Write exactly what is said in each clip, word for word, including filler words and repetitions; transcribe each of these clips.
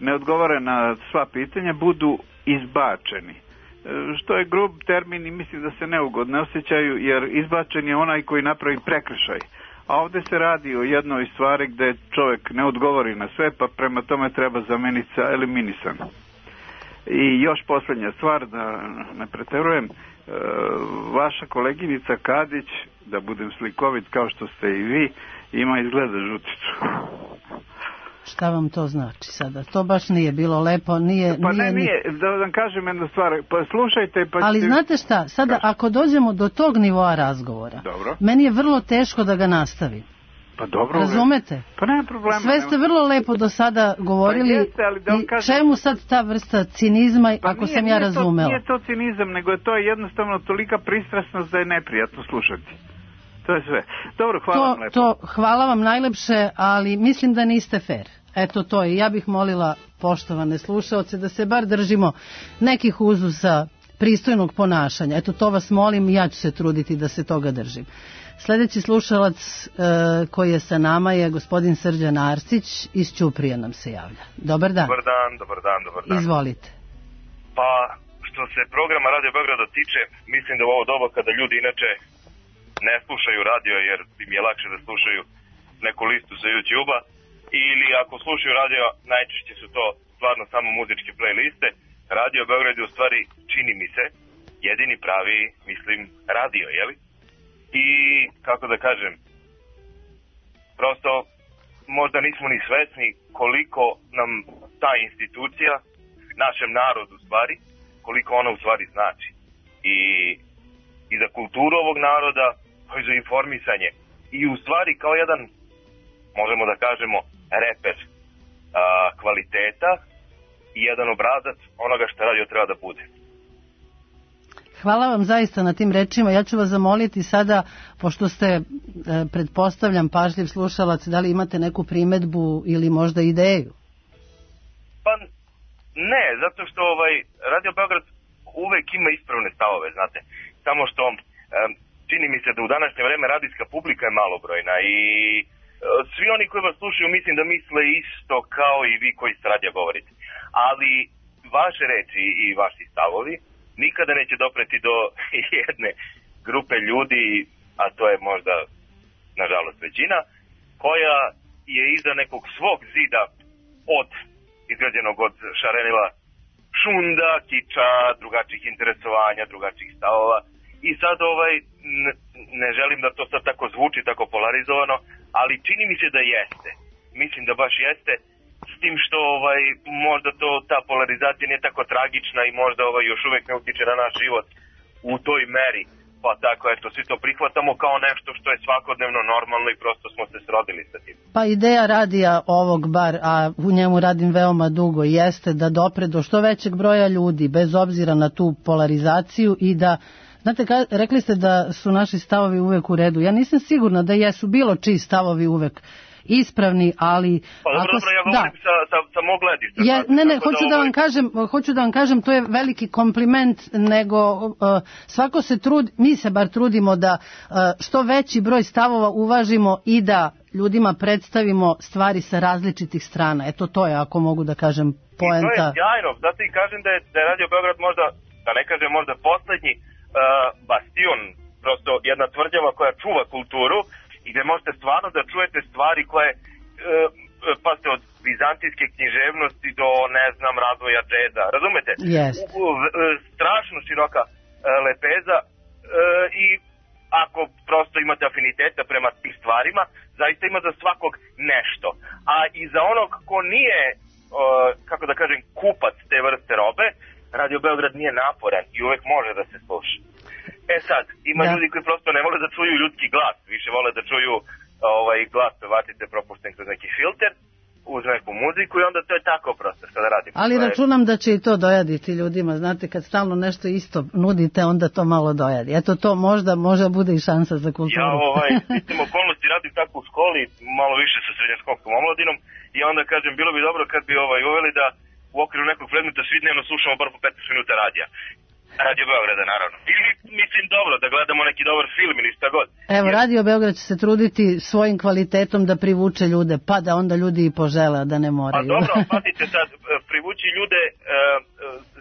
ne odgovore na sva pitanja, budu izbačeni. Što je grub termin i mislim da se neugodno osjećaju, jer izbačen je onaj koji napravi prekršaj. A ovdje se radi o jednoj stvari gdje čovjek ne odgovori na sve, pa prema tome treba zameniti sa eliminisan. I još posljednja stvar, da ne preterujem, vaša koleginica Kadić, da budem slikovit kao što ste i vi, ima izgleda žuticu. Šta vam to znači sada? To baš nije bilo lepo, nije... Pa nije, ne, nije, da vam kažem jednu stvar, pa slušajte... Pa ali ćete... znate šta, sada Kaži. Ako dođemo do tog nivoa razgovora, dobro, meni je vrlo teško da ga nastavim. Pa dobro. Razumete? Pa nema problema. Sve ste vrlo lepo do sada govorili. Pa jeste, ali da vam kažem... I čemu sad ta vrsta cinizma, pa ako nije, sam ja nije razumela? To, nije to cinizam, nego je to jednostavno tolika pristrasnost da je neprijatno slušati. To je sve. Dobro, hvala to, vam lepo. To, hvala vam najlepše, ali mislim da niste fair. Eto to je. Ja bih molila poštovane slušaoce da se bar držimo nekih uzusa pristojnog ponašanja. Eto to vas molim i ja ću se truditi da se toga držim. Sljedeći slušalac e, koji je sa nama je gospodin Srđan Arsić iz Ćuprije nam se javlja. Dobar dan. Dobar dan, dobar dan, dobar dan. Izvolite. Pa, što se programa Radio Beograda tiče, mislim da u ovo doba kada ljudi inače ne slušaju radio jer im je lakše da slušaju neku listu sa YouTube-a, ili ako slušaju radio, najčešće su to stvarno samo muzičke playliste. Radio Beograd je u stvari, čini mi se, jedini pravi, mislim, radio, jeli? I, kako da kažem, prosto možda nismo ni svesni koliko nam ta institucija, našem narodu u stvari, koliko ona u stvari znači. I, i za kulturu ovog naroda, pa i za informisanje. I u stvari kao jedan, možemo da kažemo, reper a, kvaliteta i jedan obrazac onoga što radio treba da bude. Hvala vam zaista na tim rečima. Ja ću vas zamoliti sada, pošto ste, e, pretpostavljam, pažljiv slušalac, da li imate neku primedbu ili možda ideju? Pa ne, zato što ovaj, Radio Beograd uvek ima ispravne stavove, znate. Samo što e, čini mi se da u današnje vreme radijska publika je malobrojna i e, svi oni koji vas slušaju mislim da misle isto kao i vi koji s radija govorite. Ali vaše reči i vaši stavovi nikada neće dopreti do jedne grupe ljudi, a to je možda, nažalost, većina, koja je iza nekog svog zida od, izgrađenog od šarenila šunda, kiča, drugačijih interesovanja, drugačijih stavova. I sad ovaj, ne, ne želim da to sad tako zvuči, tako polarizovano, ali čini mi se da jeste. Mislim da baš jeste. S tim što ovaj, možda to, ta polarizacija nije tako tragična i možda ovaj, još uvijek ne utiče na naš život u toj meri. Pa tako, eto, svi to prihvatamo kao nešto što je svakodnevno normalno i prosto smo se srodili sa tim. Pa ideja radija ovog bar, a u njemu radim veoma dugo, jeste da dopre do što većeg broja ljudi, bez obzira na tu polarizaciju i da... Znate, ka, rekli ste da su naši stavovi uvek u redu. Ja nisam sigurna da jesu bilo čiji stavovi uvek ispravni, ali... Pa dobro, ako, dobro, ja govorim da. sa, sa, sa mog gledišta. Je, ne, ne, hoću da, da vam ovaj... kažem, hoću da vam kažem, to je veliki kompliment, nego uh, svako se trudi, mi se bar trudimo da uh, što veći broj stavova uvažimo i da ljudima predstavimo stvari sa različitih strana. Eto, to je, ako mogu da kažem, poenta. I to je sjajno, zato i kažem da je, da je Radio Beograd možda, da ne kažem možda poslednji uh, bastion, prosto jedna tvrđava koja čuva kulturu, i gdje možete stvarno da čujete stvari koje, e, pa ste od vizantijske književnosti do, ne znam, razvoja džeza, razumete? Yes. U, u, strašno široka e, lepeza e, i ako prosto imate afiniteta prema tim stvarima, zaista ima za svakog nešto. A i za onog ko nije, e, kako da kažem, kupac te vrste robe, Radio Beograd nije naporan i uvek može da se sluša. E sad, ima da. Ljudi koji prosto ne vole da čuju ljudski glas, više vole da čuju ovaj glas pevačice propušten kroz neki filter, uz neku muziku i onda to je tako prosto što da radim. Ali to računam je... da će i to dojaditi ljudima, znate, kad stalno nešto isto nudite, onda to malo dojadi. Eto to možda, možda bude i šansa za kulturu. Ja ovaj, sistem okolnosti radim tako u školi, malo više sa srednjoškolskom omladinom i onda kažem, bilo bi dobro kad bi ovaj uveli da u okviru nekog predmeta svi dnevno slušamo bar po petnaest minuta radija. Radio Beograda, naravno. Ili, mislim, dobro, da gledamo neki dobar film ili šta god. Evo, Jer- Radio Beograd će se truditi svojim kvalitetom da privuče ljude, pa da onda ljudi i požele, da ne Pa moraju. dobro, pazite sad, e, privući ljude, e, e,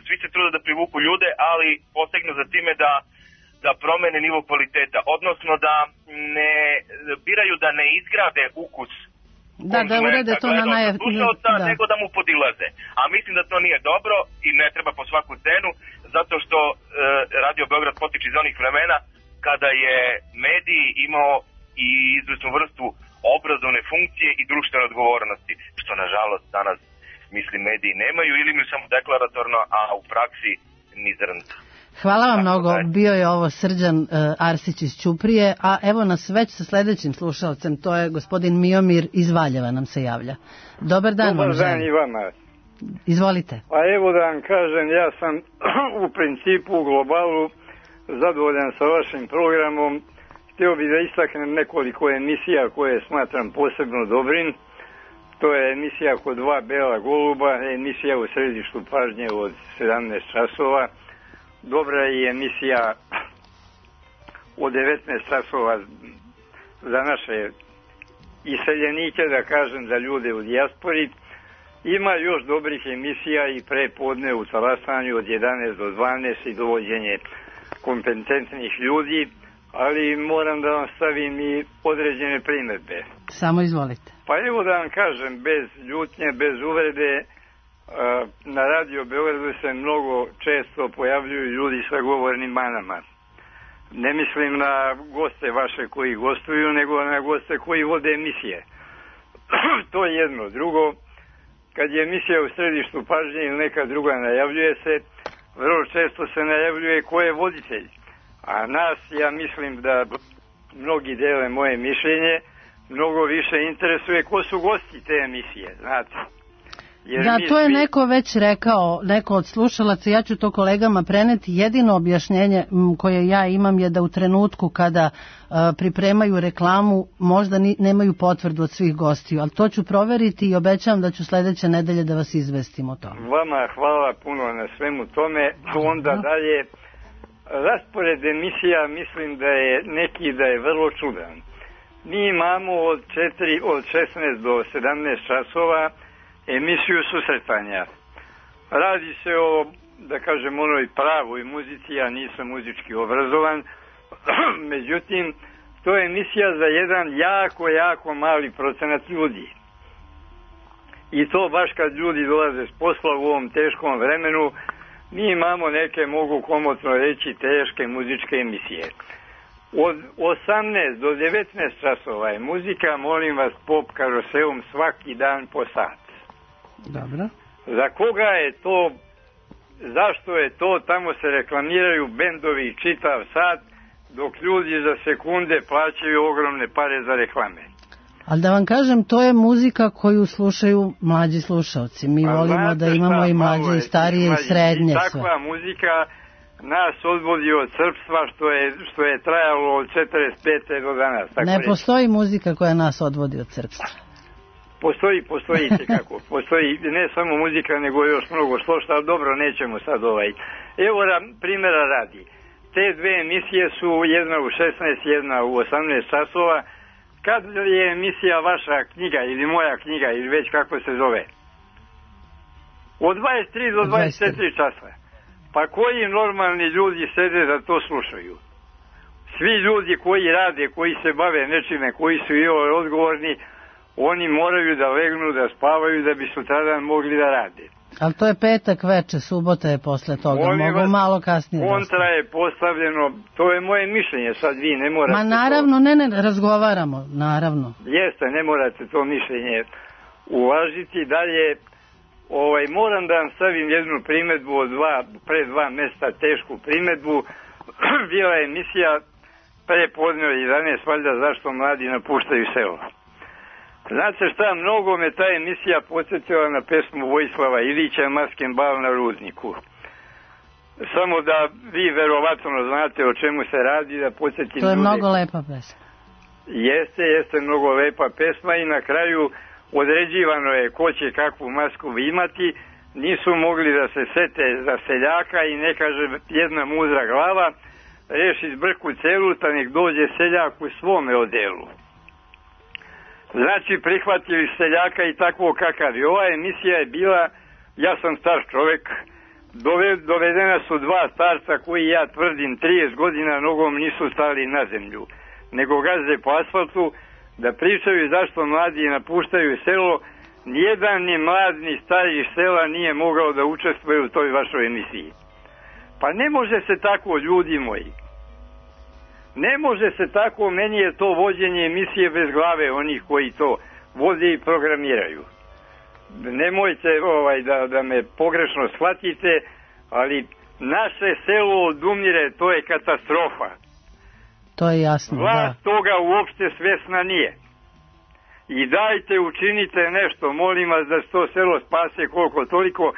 svi se trude da privuku ljude, ali posegnu za time da da promene nivo kvaliteta, odnosno da ne biraju da ne izgrade ukus Da, da urede to na naj... slušalca, da. nego da mu podilaze. A mislim da to nije dobro i ne treba po svaku cenu, zato što e, Radio Beograd potiče iz onih vremena kada je medij imao i izvesnu vrstu obrazovne funkcije i društvene odgovornosti, što nažalost danas mislim mediji nemaju ili imaju samo deklaratorno, a u praksi ni zrnca. Hvala vam Tako mnogo, da je. bio je ovo Srđan uh, Arsić iz Ćuprije, a evo nas već sa sledećim slušalcem, to je gospodin Miomir iz Valjeva nam se javlja. Dobar dan Dobar vam dan želim. i vama. Izvolite. Pa evo da vam kažem, ja sam u principu u globalu zadovoljan sa vašim programom. Htio bih da istaknem nekoliko emisija koje smatram posebno dobrim. To je emisija Kod dva bela goluba, emisija U središtu pažnje od sedamnaest časova. Dobra je i emisija od devetnaest časova za naše iseljenike, da kažem, za ljude u dijaspori. Ima još dobrih emisija i prepodne u talasanju od jedanaest do dvanaest i dovođenje kompetentnih ljudi, ali moram da vam stavim i određene primedbe. Samo izvolite. Pa evo da vam kažem, bez ljutnje, bez uvrede, na Radio Beogradu se mnogo često pojavljuju ljudi sa govornim manama. Ne mislim na goste vaše koji gostuju, nego na goste koji vode emisije. To je jedno. Drugo, kad je emisija U središtu pažnje ili neka druga najavljuje se, vrlo često se najavljuje ko je voditelj. A nas, ja mislim da mnogi dele moje mišljenje, mnogo više interesuje ko su gosti te emisije, znate. Jer Da, mi to je svi- neko već rekao, neko od slušalaca, ja ću to kolegama preneti. Jedino objašnjenje m, koje ja imam je da u trenutku kada a, pripremaju reklamu možda ni, nemaju potvrdu od svih gostiju, ali to ću proveriti i obećavam da ću sledeće nedelje da vas izvestim o tome. Vama hvala puno na svemu tome. Onda dalje, raspored emisija mislim da je neki da je vrlo čudan. Mi imamo od četiri, od šesnaest do sedamnaest časova emisiju susretanja. Radi se o, da kažem, onoj pravoj muzici, ja nisam muzički obrazovan, međutim, to je emisija za jedan jako, jako mali procenat ljudi. I to baš kad ljudi dolaze s posla u ovom teškom vremenu, mi imamo neke, mogu komotno reći, teške muzičke emisije. Od osamnaest do devetnaest časova je muzika, molim vas, pop karoseum svaki dan po sat. Dobro. Za koga je to, zašto je to, tamo se reklamiraju bendovi čitav sat, dok ljudi za sekunde plaćaju ogromne pare za reklame. Ali da vam kažem, to je muzika koju slušaju mlađi slušalci. Mi A volimo znate da imamo šta, i malo mlađe je i starije i mlađi. srednje I sve. takva muzika nas odvodi od srpstva što je, što je trajalo od četrdeset pete do danas. Tako Ne reći. postoji muzika koja nas odvodi od srpstva. Postoji, postoji kako. Postoji ne samo muzika, nego još mnogo slošta, ali dobro, nećemo sad ovaj. Evo ra, primjera radi. Te dve emisije su jedna u šesnaest, jedna u osamnaest časova. Kad je emisija vaša knjiga ili moja knjiga ili već kako se zove? Od dvadeset tri do dvadeset četiri časa. Pa koji normalni ljudi sede da to slušaju? Svi ljudi koji rade, koji se bave nečime, koji su i ovo odgovorni, oni moraju da legnu, da spavaju, da bi sutradan mogli da rade. Ali to je petak veče, subota je posle toga, Molim mogu vas, malo kasnije. da kontra je postavljeno, to je moje mišljenje, sad vi ne morate. Ma naravno, to, ne, ne, razgovaramo, naravno. Jeste, ne morate to mišljenje uvažiti. Dalje, ovaj, moram da vam stavim jednu primedbu od dva, pre dva mesta, tešku primedbu. Bila je emisija pre podne od jedanaest, valjda zašto mladi napuštaju selo. Znate šta, mnogo me ta emisija podsjetila na pesmu Vojislava Ilića Masken bal na Rudniku. Samo da vi verovatno znate o čemu se radi, da podsjetim To je ljude. mnogo lepa pesma. Jeste, jeste mnogo lepa pesma i na kraju određivano je ko će kakvu masku imati, nisu mogli da se sete za seljaka i ne kaže jedna mudra glava, reši zbrku celuta, nek dođe seljak u svome odelu. Znači, prihvatili seljaka i takvo kakav. I ova emisija je bila, ja sam star čovek, dovedena su dva starca koji, ja tvrdim, trideset godina nogom nisu stali na zemlju, nego gaze po asfaltu, da pričaju zašto mladi napuštaju selo. Nijedan ni mlad ni stari iz sela nije mogao da učestvuje u toj vašoj emisiji. Pa ne može se tako, ljudi moji. Ne može se tako, meni je to vođenje emisije bez glave onih koji to vode i programiraju. Nemojte ovaj, da, da me pogrešno shvatite, ali naše selo odumire, to je katastrofa. To je jasno, Vlast da. toga uopšte svesna nije. I dajte, učinite nešto, molim vas da se to selo spase koliko toliko.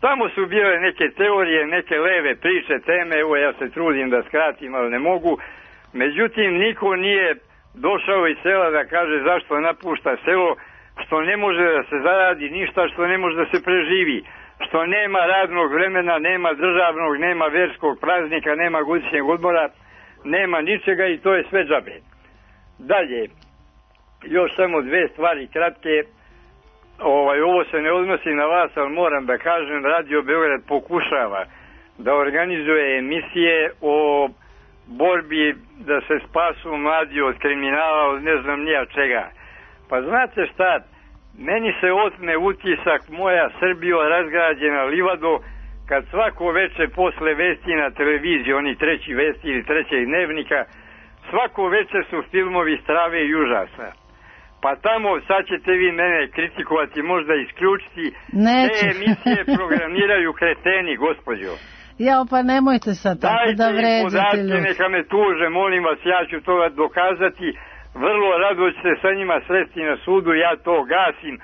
Tamo su bile neke teorije, neke leve priče, teme, evo ja se trudim da skratim, ali ne mogu. Međutim, niko nije došao iz sela da kaže zašto napušta selo, što ne može da se zaradi ništa, što ne može da se preživi, što nema radnog vremena, nema državnog, nema verskog praznika, nema godišnjeg odmora, nema ničega i to je sve džabe. Dalje, još samo dve stvari kratke. Ovaj, ovo se ne odnosi na vas, ali moram da kažem, Radio Beograd pokušava da organizuje emisije o borbi da se spasu mladi od kriminala, od ne znam nija čega. Pa znate šta, meni se otme utisak moja Srbija razgrađena livado, kad svako veče posle vesti na televiziji, oni treći vesti ili trećeg dnevnika, svako veče su filmovi strave i užasa. Pa tamo, sad ćete vi mene kritikovati, možda isključiti, Neću. te emisije programiraju kreteni, gospođo. Ja, pa nemojte sad tako Dajte da im vređate podatke, ljudi. neka me tuže, molim vas, ja ću to dokazati. Vrlo rado ćete sa njima sresti na sudu, ja to gasim.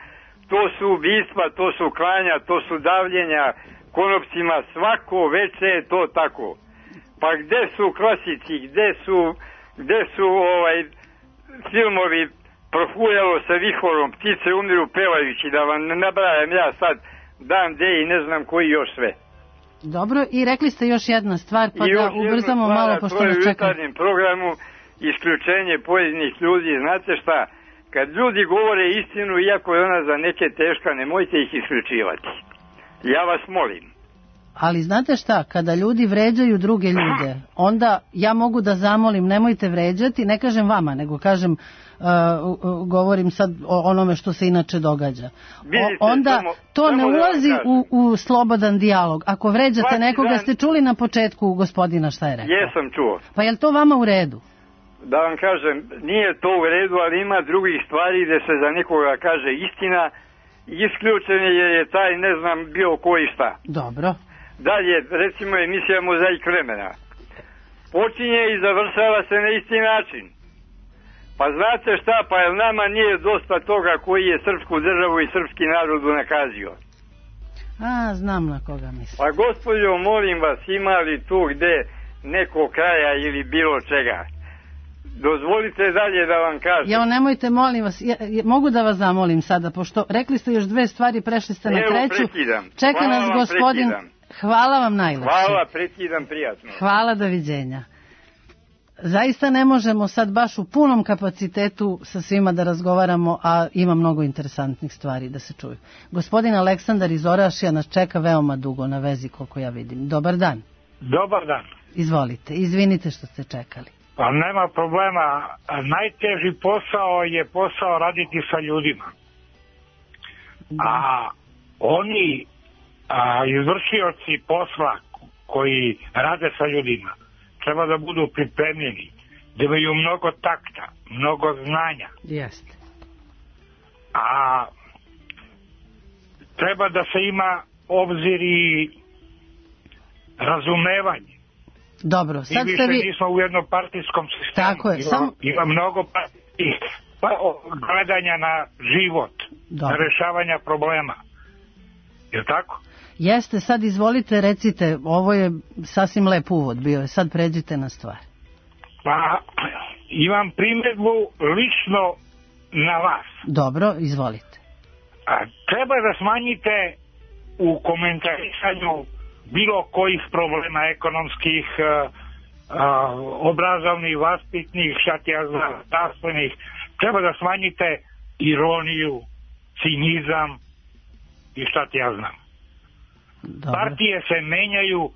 To su ubistva, to su klanja, to su davljenja konopcima, svako veče je to tako. Pa gde su klasici, gde su, gde su ovaj, filmovi Profujalo sa vihorom, ptice umiru pevajući, da vam ne nabrajam ja sad dan, de i ne znam koji još sve. Dobro, i rekli ste još jedna stvar, pa I da ubrzamo stvar, malo, pošto nas čeka. nas U čeka. jutarnjem programu isključenje pojedinih ljudi, znate šta, kad ljudi govore istinu, iako je ona za neke teška, nemojte ih isključivati. Ja vas molim. Ali znate šta, kada ljudi vređaju druge ljude, onda ja mogu da zamolim, nemojte vređati, ne kažem vama, nego kažem, uh, govorim sad o onome što se inače događa. Vidite, o, onda samo, to samo ne da ulazi kažem. u, u slobodan dijalog. Ako vređate Svaki nekoga, dan... ste čuli na početku gospodina šta je rekao? Jesam čuo. Pa je li to vama u redu? Da vam kažem, nije to u redu, ali ima drugih stvari gde se za nekoga kaže istina, isključen je jer je taj, ne znam, bio ko i šta. Dobro. Dalje, recimo emisija Mozaik vremena. Počinje i završava se na isti način. Pa znate šta, pa jel nama nije dosta toga koji je srpsku državu i srpski narod unakazio? A, znam na koga mislim. Pa gospođo, molim vas, ima li tu gde neko kraja ili bilo čega? Dozvolite dalje da vam kažem. Ja, nemojte, molim vas, ja, ja, mogu da vas zamolim sada, pošto rekli ste još dve stvari, prešli ste na Evo, treću. prekidam. Čeka Hvala nas vam, gospodin. prekidam. Hvala vam najlepše. Hvala, prekidam, prijatno. Hvala, doviđenja. Zaista ne možemo sad baš u punom kapacitetu sa svima da razgovaramo, a ima mnogo interesantnih stvari da se čuju. Gospodin Aleksandar iz Orašija nas čeka veoma dugo na vezi, koliko ja vidim. Dobar dan. Dobar dan. Izvolite, izvinite što ste čekali. Pa nema problema. Najteži posao je posao raditi sa ljudima. Da. A oni a, izvršioci posla koji rade sa ljudima treba da budu pripremljeni, da imaju mnogo takta, mnogo znanja. Jeste. A treba da se ima obzir i razumevanje. Dobro, sad I ste više vi... nismo u jednopartijskom sistemu. Tako je, Ima, sam... ima mnogo partijskih pa, gledanja na život, Dobro. na rešavanja problema. Je li tako? Jeste, sad izvolite, recite, ovo je sasvim lep uvod bio, je, sad pređite na stvar. Pa, imam primjedbu lično na vas. Dobro, izvolite. A, treba da smanjite u komentarisanju bilo kojih problema ekonomskih, a, a, obrazovnih, vaspitnih, šta ti ja znam, zdravstvenih, treba da smanjite ironiju, cinizam i šta ti ja znam. Dobre. Partije se menjaju,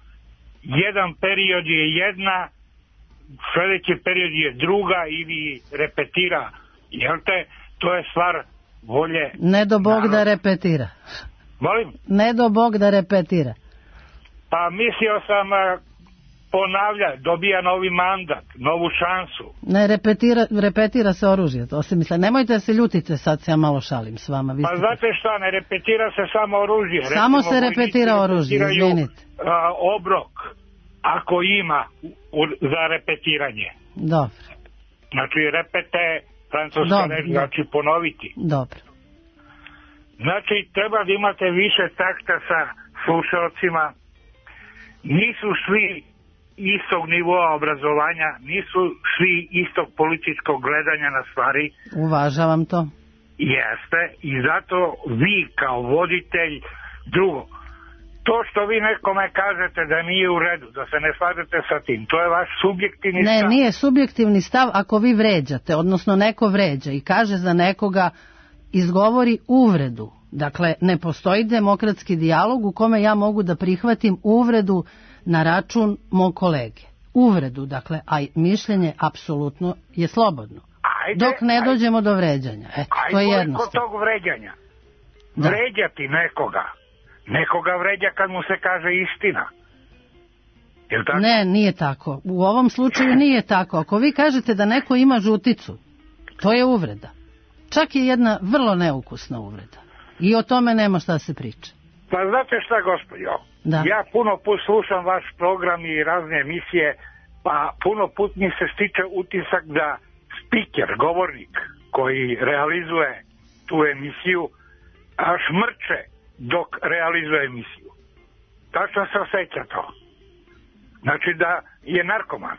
jedan period je jedna, sljedeći period je druga ili repetira. Jel te, to je stvar volje. Ne do Bog naroda. da repetira. Molim? Ne do Bog da repetira. Pa mislio sam a, ponavlja, dobija novi mandat, novu šansu. Ne, repetira, repetira se oružje, to se misle. Nemojte da se ljutite, sad se ja malo šalim s vama. Vi Pa ste... znate šta, ne repetira se samo oružje. Samo Recimo, se repetira vojnici oružje, repetiraju, izvinite. a, obrok, ako ima u, za repetiranje. Dobro, Znači, repete, francuska Dobro, reč, dobro. znači ponoviti. dobro. Znači, treba da imate više takta sa slušalcima. Nisu svi istog nivoa obrazovanja, nisu svi istog političkog gledanja na stvari. Uvažavam to. Jeste, i zato vi kao voditelj, drugo, to što vi nekome kažete da nije u redu, da se ne slažete sa tim, to je vaš subjektivni Ne, stav. nije subjektivni stav ako vi vređate, odnosno neko vređa i kaže za nekoga, izgovori uvredu. Dakle, ne postoji demokratski dijalog u kome ja mogu da prihvatim uvredu na račun mog kolege. Uvredu, dakle, a mišljenje apsolutno je slobodno. Ajde, Dok ne ajde. dođemo do vređanja. Eto, to je Ajde, kod jednostavno. tog vređanja. Da. Vređati nekoga. Nekoga vređa kad mu se kaže istina. Jel tako? Ne, nije tako. U ovom slučaju nije tako. Ako vi kažete da neko ima žuticu, to je uvreda. Čak je jedna vrlo neukusna uvreda. I o tome nema šta se priča. Pa znate šta, gospođo? Da. Ja puno put slušam vaš program i razne emisije, pa puno put mi se stiče utisak da spiker, govornik koji realizuje tu emisiju, a šmrče dok realizuje emisiju. Tačno se osjeća to. Znači da je narkoman.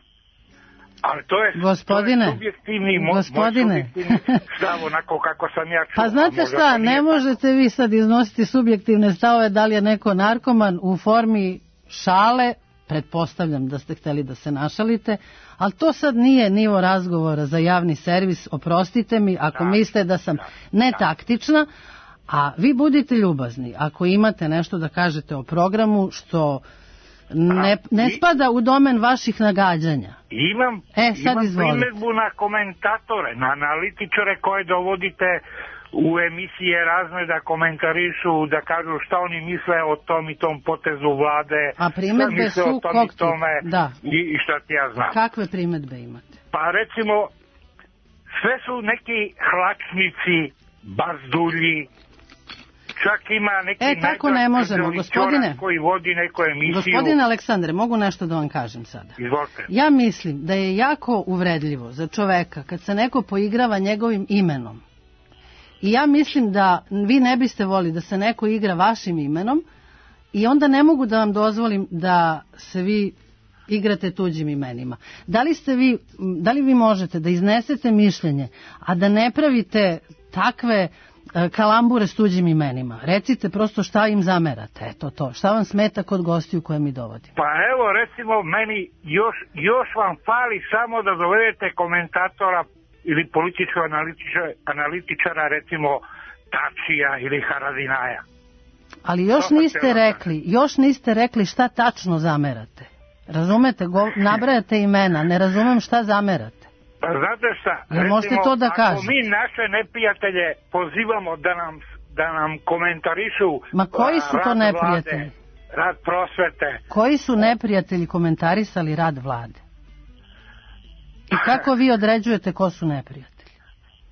Ali to je, Gospodine, to je subjektivni, mo, gospodine. moj subjektivni stav, onako kako sam ja čuo. Pa znate Možda šta, to nije ne tako. možete vi sad iznositi subjektivne stavove da li je neko narkoman u formi šale, pretpostavljam da ste hteli da se našalite, ali to sad nije nivo razgovora za javni servis, oprostite mi ako Da, mislite da sam da, netaktična, a vi budite ljubazni ako imate nešto da kažete o programu što ne, ne i- spada u domen vaših nagađanja. Imam, E, sad imam izvolite. primjedbu na komentatore, na analitičare koje dovodite u emisije razne da komentarišu, da kažu šta oni misle o tom i tom potezu vlade, A primedbe šta misle su o tom kog i tome tipa? Da. i, i šta ti ja znam. Kakve primedbe imate? Pa recimo, sve su neki hlačnici, bazdulji, čak ima neki E, tako ne možemo, najdraži gospodine. čorak koji vodi neku emisiju. Gospodine Aleksandre, mogu nešto da vam kažem sada? Izvolite. Ja mislim da je jako uvredljivo za čoveka kad se neko poigrava njegovim imenom. I ja mislim da vi ne biste voli da se neko igra vašim imenom i onda ne mogu da vam dozvolim da se vi igrate tuđim imenima. Da li ste vi, da li vi možete da iznesete mišljenje, a da ne pravite takve e, kalambure s tuđim imenima? Recite prosto šta im zamerate, eto to. Šta vam smeta kod gostiju koje mi dovodimo? Pa evo, recimo, meni još, još vam fali samo da dovedete komentatora ili političkog analitičara, analitičara, recimo Tačija ili Haradinaja. Ali još To niste hoćemo da- rekli, još niste rekli šta tačno zamerate. Razumete, go, nabrajate imena, ne razumem šta zamerate. Pa znate šta, Jel možete to da ako kažete? mi naše neprijatelje pozivamo da nam, da nam komentarišu Ma koji su a, to rad neprijatelji? Vlade, rad prosvete, Koji su neprijatelji komentarisali rad vlade? I kako vi određujete ko su neprijatelji?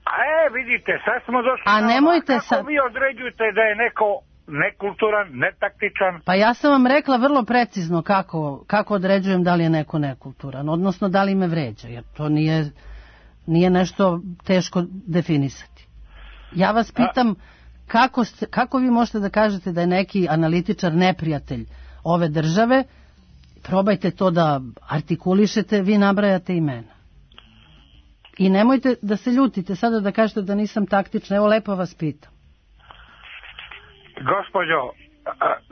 a e, vidite, sad smo došli A na ovo. nemojte Kako sad- vi određujete da je neko nekulturan, netaktičan? Pa ja sam vam rekla vrlo precizno kako, kako određujem da li je neko nekulturan, odnosno da li me vređa, jer to nije, nije nešto teško definisati. Ja vas pitam kako, ste, kako vi možete da kažete da je neki analitičar neprijatelj ove države, probajte to da artikulišete, vi nabrajate imena. I nemojte da se ljutite sada da kažete da nisam taktična, evo lepo vas pitam. Gospođo,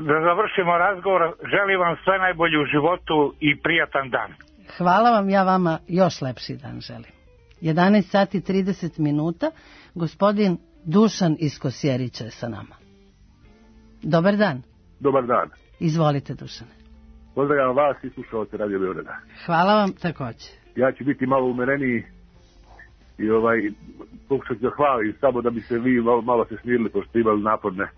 da završimo razgovor, želim vam sve najbolje u životu i prijatan dan. Hvala vam, ja vama još lepši dan želim. jedanaest sati trideset minuta, gospodin Dušan iz Kosjerića je sa nama. Dobar dan. Dobar dan. Izvolite, Dušane. Pozdravljam vas i slušalce Radio Beograda. Hvala vam također. Ja ću biti malo umereniji i ovaj, pokušati da hvalim samo da bi se vi malo, malo se smirili, pošto ste imali naporne.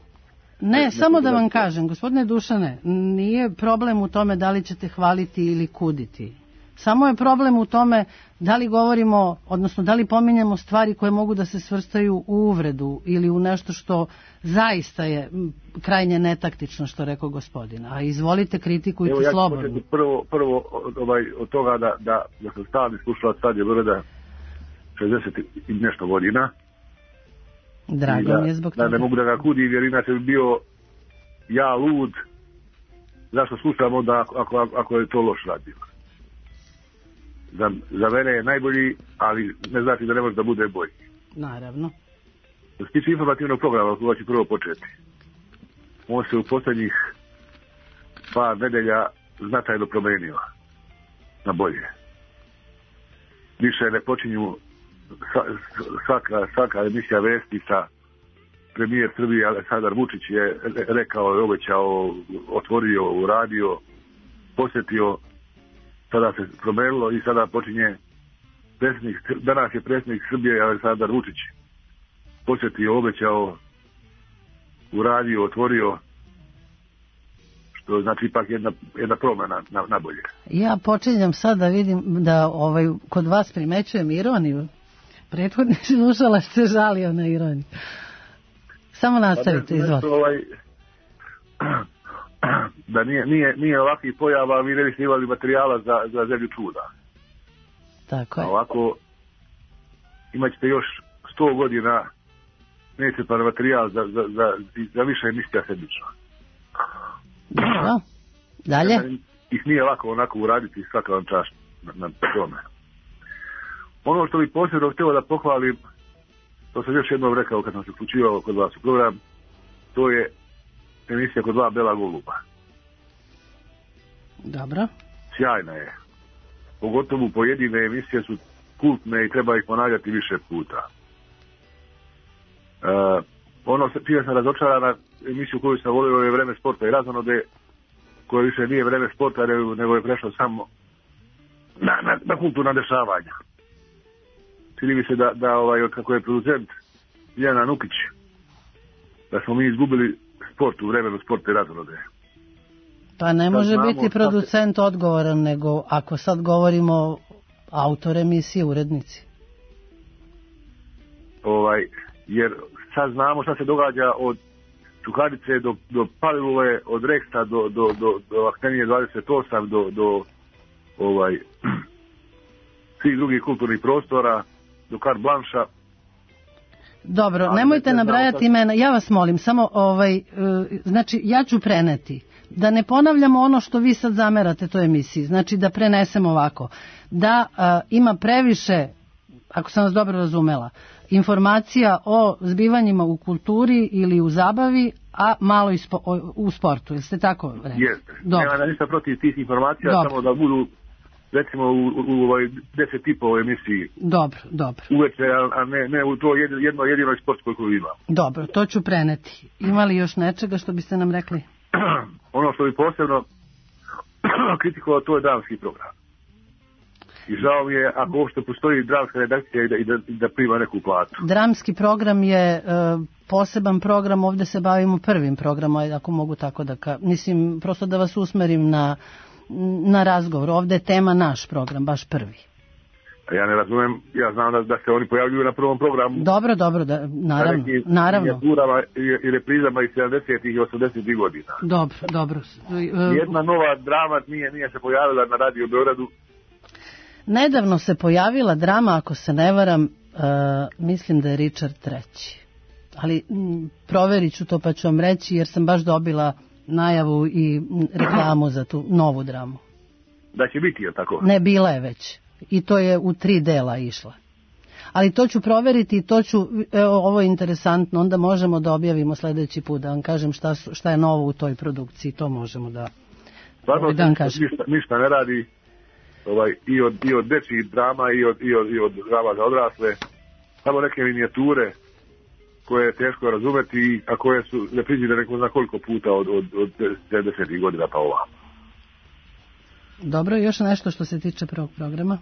Ne, ne samo da vam kažem, gospodine Dušane, nije problem u tome da li ćete hvaliti ili kuditi. Samo je problem u tome da li govorimo, odnosno da li pominjemo stvari koje mogu da se svrstaju u uvredu ili u nešto što zaista je krajnje netaktično, što rekao gospodin. A izvolite, kritikujte Evo, ja slobodno. Evo ja ću prvo, prvo ovaj, od toga da, da, da sam stalni slušalac Radio Beograda šezdeset i nešto godina. Drago mi je zbog toga. Da ne mogu da ga kudim, jer inače bi bio ja lud. Zašto slušam onda ako, ako je to loš radio? Za, za mene je najbolji, ali ne znači da ne može da bude bolji. Naravno. Što se tiče informativnog programa, koga ću prvo početi. On se u posljednjih par nedelja značajno promenio na bolje. Više ne počinju svaka, svaka emisija vesti sa premijer Srbije Aleksandar Vučić je rekao, je obećao, otvorio, uradio, posjetio. Sada se promenilo i sada počinje predsjednik, danas je predsjednik Srbije Aleksandar Vučić posjetio, obećao, uradio, otvorio, što znači ipak jedna, jedna promjena na, na bolje. Ja počinjem sad da vidim da ovaj, kod vas primećujem ironiju. Prethodni slušalac se žalio na ironiju. Samo nastavite, izvolite. Ovaj, da nije, nije, nije ovakvih pojava, vi ne biste imali materijala za, za zemlju čuda. Tako je. Ovako, imat ćete još sto godina neiscrpan materijal za, za, za, za više emisija sedmično. Dobro. Dalje? Ih nije lako onako uraditi, svaka vam čast na, na tome. Ono što bih posebno htio da pohvalim, to sam još jednom rekao kad sam se uključivao kod vas u program, to je emisija kod dva Bela Goluba. Dobro. Sjajna je. Pogotovo pojedine emisije su kultne i treba ih ponavljati više puta. Uh, ono čija sam razočarana emisiju koju sam volio je Vreme sporta i razonode, koja više nije Vreme sporta, nego je prešlo samo na, na, na kulturna dešavanja. Čini mi se da, da ovaj, kako je producent Ljana Nukić, da smo mi izgubili sport u vremenu sporta i razonode. Pa ne može biti producent se... odgovoran, nego ako sad govorimo autor emisije, urednici. Ovaj, jer sad znamo šta se događa od Čukarice do, do Palilule, od Reksta do, do, do, do Aktenije dvadeset osam, do, do ovaj, svih drugih kulturnih prostora, do Carte Blancha. Dobro, ali nemojte nabrajati imena, ja vas molim, samo ovaj, e, znači ja ću preneti, da ne ponavljamo ono što vi sad zamerate toj emisiji, znači da prenesemo ovako, da a, ima previše, ako sam vas dobro razumela, informacija o zbivanjima u kulturi ili u zabavi, a malo ispo, o, u sportu, jeste tako rekli? Jeste, nema ništa protiv tih informacija, dobro. Samo da budu recimo u, u, u ovoj deset tipa u emisiji. Dobro, dobro. Uveče, a ne, ne u to jedno, jedno jedinoj sportskoj koju ima. Dobro, to ću preneti. Ima li još nečega što biste nam rekli? Ono što bi posebno kritikovao, to je dramski program. I žao mi je ako uopšte postoji dramska redakcija i da, i da, i da prima neku platu. Dramski program je e, poseban program, ovdje se bavimo prvim programom, ako mogu tako da ka... Mislim, prosto da vas usmerim na na razgovor. Ovdje je tema naš program, baš prvi. Ja ne razumem, ja znam da, da se oni pojavljuju na prvom programu. Dobro, dobro, da, naravno. naravno. I, i reprizama iz sedamdesetih i osamdesetih godina. Dobro, dobro. Jedna nova drama nije, nije se pojavila na Radio Beogradu. Nedavno se pojavila drama, ako se ne varam, uh, mislim da je Richard treći. Ali m, proverit ću to pa ću vam reći, jer sam baš dobila najavu i reklamu za tu novu dramu. Da će biti, je tako? Ne, bila je već. I to je u tri dela išla. ali to ću proveriti i to ću, evo, ovo je interesantno, onda možemo da objavimo sledeći put, da vam kažem šta, su, šta je novo u toj produkciji, to možemo da, Stvarno, da vam kažem. Ništa, ništa ne radi ovaj, i od, i od dečjih drama i od, i od, i od drama za odrasle, samo neke minijature koje je teško razumeti, a koje su reprizirane neko zna koliko puta od, od, od sedamdesetih godina pa ova. Dobro, još nešto što se tiče prvog programa?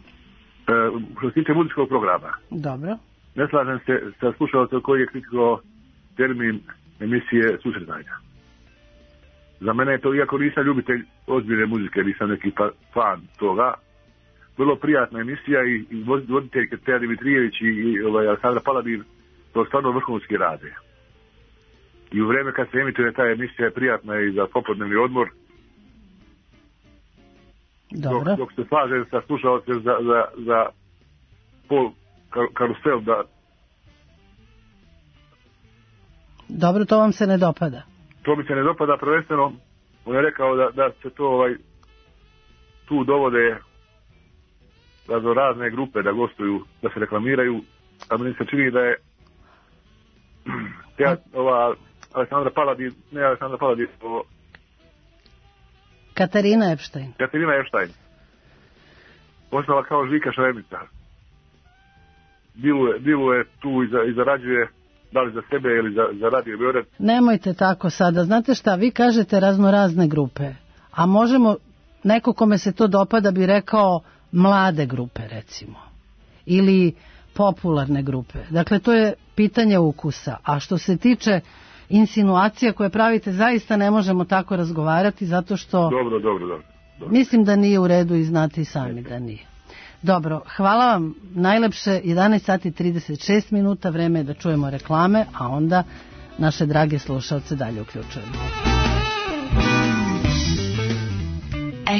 E, što se tiče muzičkog programa. Dobro. Ne slažem se sa slušalcem koji je kritikovao termin emisije susretanja. Za mene je to, iako nisam ljubitelj ozbiljne muzike, nisam neki pa, fan toga, vrlo prijatna emisija i, i voditeljke Teja Dimitrijević i, i ovaj, Aleksandra Paladin to stvarno vrhunski rade. I u vreme kad se emituje ta emisija je prijatna i za popodnevni odmor. Dobro. Dok, dok se slažem sa slušalcem za, za, za pol kar, karusel da... Dobro, to vam se ne dopada? To mi se ne dopada prvenstveno. On je rekao da, da se to ovaj, tu dovode razno razne grupe da gostuju, da se reklamiraju, a meni se čini da je te, ova Aleksandra Paladin, ne Aleksandra Paladin, o, Katarina Epstein. Katarina Epstein. Postala kao Žika Šremica. Diluje, diluje tu i, za, i zarađuje, da li za sebe ili za, za Radio Beograd. Nemojte tako sada. Znate šta, vi kažete raznorazne grupe, a možemo, neko kome se to dopada bi rekao mlade grupe, recimo. Ili popularne grupe. Dakle, to je pitanje ukusa. A što se tiče insinuacija koje pravite, zaista ne možemo tako razgovarati, zato što... Dobro, dobro, dobro. dobro. Mislim da nije u redu i znate i sami da nije. Dobro, hvala vam najlepše, jedanaest sati i trideset šest minuta, vreme je da čujemo reklame, a onda naše drage slušalce dalje uključujemo.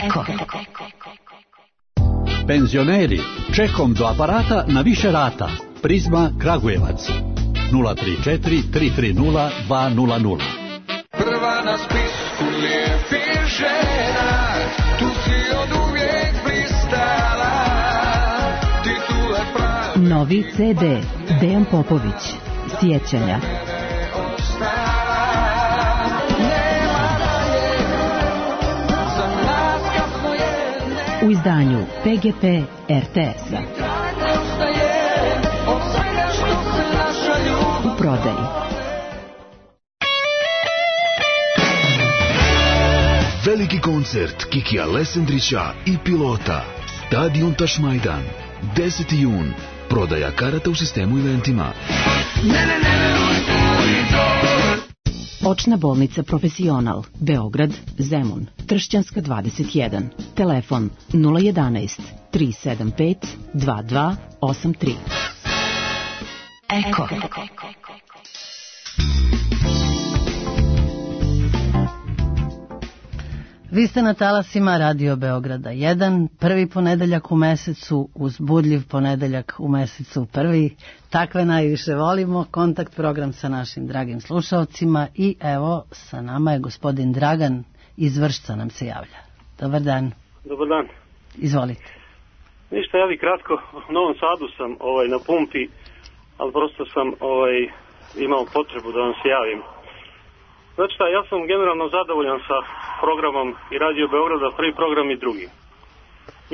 Eko. Penzioneri, čekom do aparata na više rata. Prizma Kragujevac. nula tri četiri tri tri nula dva nula nula. Prva na spisku lijepih žena, tu si od uvijek blistala, titule pravi. Novi ce de Dejan Popović, Sjećanja. U izdanju pe ge pe er te es-a. U prodaji. Veliki koncert Kikija Lesendrića i Pilota. Stadion Tašmajdan. deseti jun. Prodaja karata u sistemu eventima. Očna bolnica Profesional, Beograd, Zemun, Tršćanska dvadeset jedan. Telefon nula jedanaest tri sedam pet dva dva osam tri. Eko. Vi ste na talasima Radio Beograda jedan, prvi ponedeljak u mesecu, uzbudljiv ponedeljak u mesecu prvi. Takve najviše volimo, kontakt program sa našim dragim slušalcima i evo sa nama je gospodin Dragan iz Vršca nam se javlja. Dobar dan. Dobar dan. Izvolite. Ništa, ja bi kratko, u Novom Sadu sam ovaj, na pumpi, ali prosto sam ovaj, imao potrebu da vam se javim. Znači šta, ja sam generalno zadovoljan sa programom i Radio Beograda, prvi program i drugi.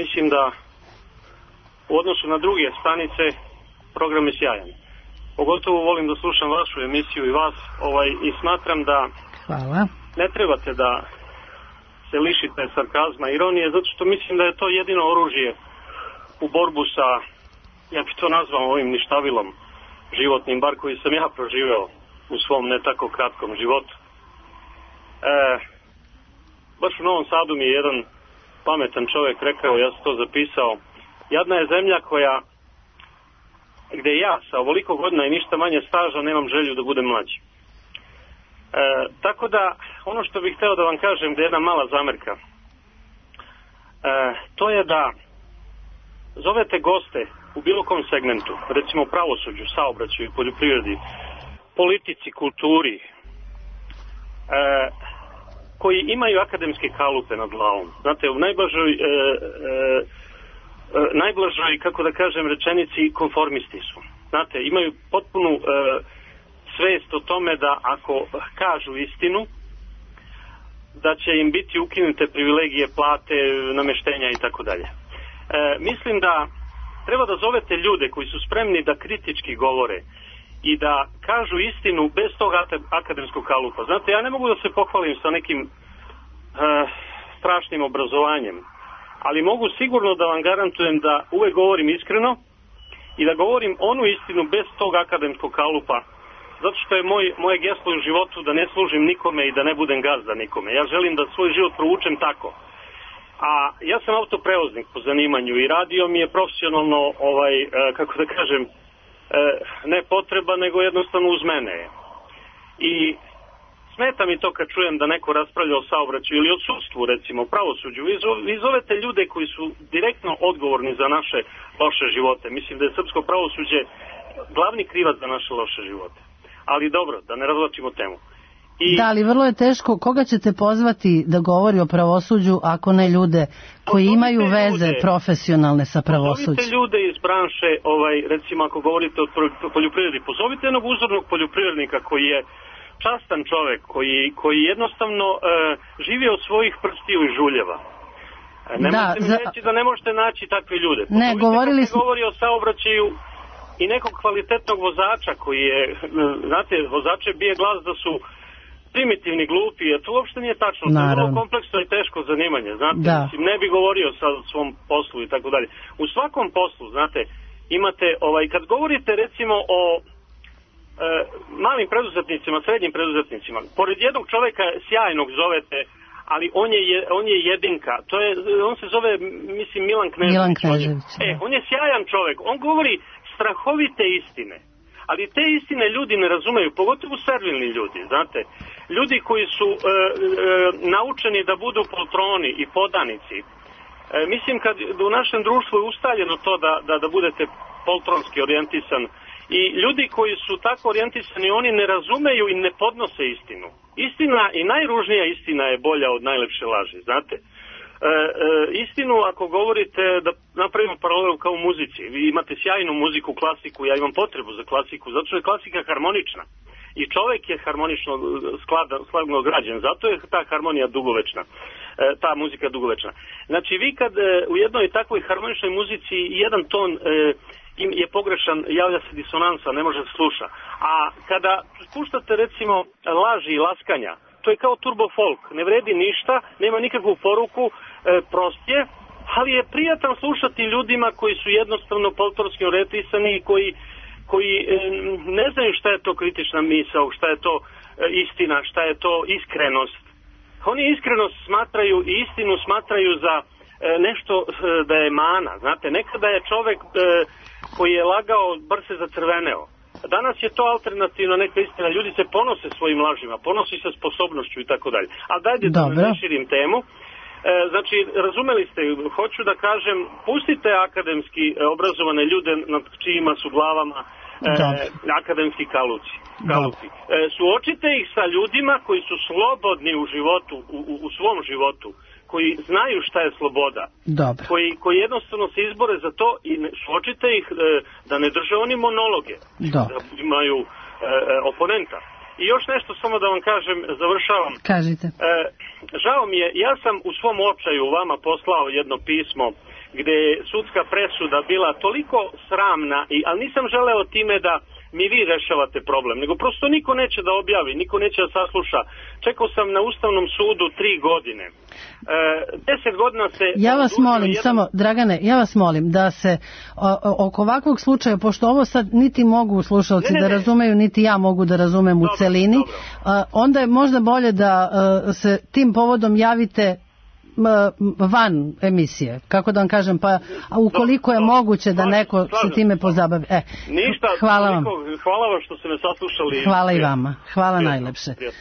Mislim da u odnosu na druge stanice program je sjajan. Pogotovo volim da slušam vašu emisiju i vas ovaj, i smatram da Hvala. Ne trebate da se lišite sarkazma i ironije, zato što mislim da je to jedino oružje u borbu sa, ja bih to nazvao ovim ništavilom životnim, bar koji sam ja proživeo u svom ne tako kratkom životu. E, baš u Novom Sadu mi je jedan pametan čovjek rekao, ja sam to zapisao, jadna je zemlja koja, gde ja sa ovoliko godina i ništa manje staža nemam želju da budem mlađi. E, tako da, ono što bih hteo da vam kažem, da je jedna mala zamerka, e, to je da zovete goste u bilo kom segmentu, recimo pravosuđu, saobraćaju, poljoprivredi, politici, kulturi, e, koji imaju akademske kalupe nad glavom. Znate, u najblažoj e, e, najblažoj, kako da kažem, rečenici konformisti su. Znate, imaju potpunu e, svest o tome da ako kažu istinu, da će im biti ukinute privilegije, plate, nameštenja i tako dalje. Mislim da treba da zovete ljude koji su spremni da kritički govore i da kažu istinu bez tog akademskog kalupa. Znate, ja ne mogu da se pohvalim sa nekim e, strašnim obrazovanjem, ali mogu sigurno da vam garantujem da uvek govorim iskreno i da govorim onu istinu bez tog akademskog kalupa, zato što je moj, moje geslo u životu da ne služim nikome i da ne budem gazda nikome. Ja želim da svoj život provučem tako. A ja sam autoprevoznik po zanimanju i radio mi je profesionalno, ovaj, e, kako da kažem, e, ne potreba, nego jednostavno uz mene. I smeta mi to kad čujem da neko raspravlja o saobraćaju ili o sudstvu, recimo, o pravosuđu. Vi, vi zovete ljude koji su direktno odgovorni za naše loše živote. Mislim da je srpsko pravosuđe glavni krivac za naše loše živote. Ali dobro, da ne razvlačimo temu. I... Da, ali vrlo je teško. Koga ćete pozvati da govori o pravosuđu ako ne ljude koji pozovite imaju veze ljude, profesionalne sa pravosuđem? Pozovite ljude iz branše, ovaj, recimo ako govorite o poljoprivredi, pozovite jednog uzornog poljoprivrednika koji je častan čovek, koji, koji jednostavno e, živi od svojih prstiju i žuljeva. Ne da, možete mi za... reći da ne možete naći takve ljude. Pozovite ne, govorili smo... govori o saobraćaju i nekog kvalitetnog vozača koji je, znate, vozače bije glas da su primitivni, glupi, jer to uopšte nije tačno. Naravno. To je vrlo kompleksno i teško zanimanje, znate, da. Mislim, ne bi govorio sa svom poslu i tako dalje. U svakom poslu, znate, imate, ovaj, kad govorite recimo o e, malim preduzetnicima, srednjim preduzetnicima, pored jednog čoveka sjajnog zovete, ali on je, on je jedinka, to je, on se zove, mislim, Milan Knežević. Milan Knežević. E, on je sjajan čovek, on govori strahovite istine. Ali te istine ljudi ne razumeju, pogotovo servilni ljudi, znate. Ljudi koji su e, e, naučeni da budu poltroni i podanici. E, mislim kad u našem društvu je ustaljeno to da, da, da budete poltronski orijentisan. I ljudi koji su tako orijentisani, oni ne razumeju i ne podnose istinu. Istina i najružnija istina je bolja od najlepše laži, znate. E, e, istinu ako govorite, da napravimo paralelu kao u muzici, vi imate sjajnu muziku, klasiku, ja imam potrebu za klasiku, zato što je klasika harmonična i čovek je harmonično skladno građen, zato je ta harmonija dugovečna, e, ta muzika dugovečna. Znači vi kad e, u jednoj takvoj harmoničnoj muzici jedan ton e, je pogrešan, javlja se disonansa, ne može se sluša, a kada puštate recimo laži i laskanja, to je kao turbo folk, ne vredi ništa, nema nikakvu poruku, e, prost je, ali je prijatan slušati ljudima koji su jednostavno poltorski orijentisani i koji, koji e, ne znaju šta je to kritična misao, šta je to e, istina, šta je to iskrenost. Oni iskrenost smatraju i istinu smatraju za e, nešto e, da je mana, znate, nekada je čovek e, koji je lagao, bar se zacrveneo. Danas je to alternativna neka istina, ljudi se ponose svojim lažima, ponosi se sposobnošću i tako dalje. Ali dajte da ne širim temu. E, znači, razumeli ste, hoću da kažem, pustite akademski e, obrazovane ljude nad čijima su glavama e, akademski kaluci. kaluci. E, suočite ih sa ljudima koji su slobodni u životu, u, u, u svom životu, koji znaju šta je sloboda, koji, koji jednostavno se izbore za to i ne, suočite ih e, da ne drže oni monologe, Dobre. Da imaju e, oponenta. I još nešto samo da vam kažem, završavam. Kažite. E, žao mi je, ja sam u svom očaju vama poslao jedno pismo gde je sudska presuda bila toliko sramna, i, ali nisam želeo time da mi vi rešavate problem, nego prosto niko neće da objavi, niko neće da sasluša. Čekao sam na Ustavnom sudu tri godine. E, deset godina se... Ja vas molim, jedan... samo, Dragane, ja vas molim da se o, oko ovakvog slučaja, pošto ovo sad niti mogu slušalci ne, ne, ne. da razumeju, niti ja mogu da razumem dobro, u celini, dobro. onda je možda bolje da se tim povodom javite van emisije, kako da vam kažem, pa ukoliko je moguće da neko se time pozabavi. E, Ništa, hvala vam. Hvala vam što ste me saslušali. Hvala i vama. Hvala prijetno, najlepše. Prijetno.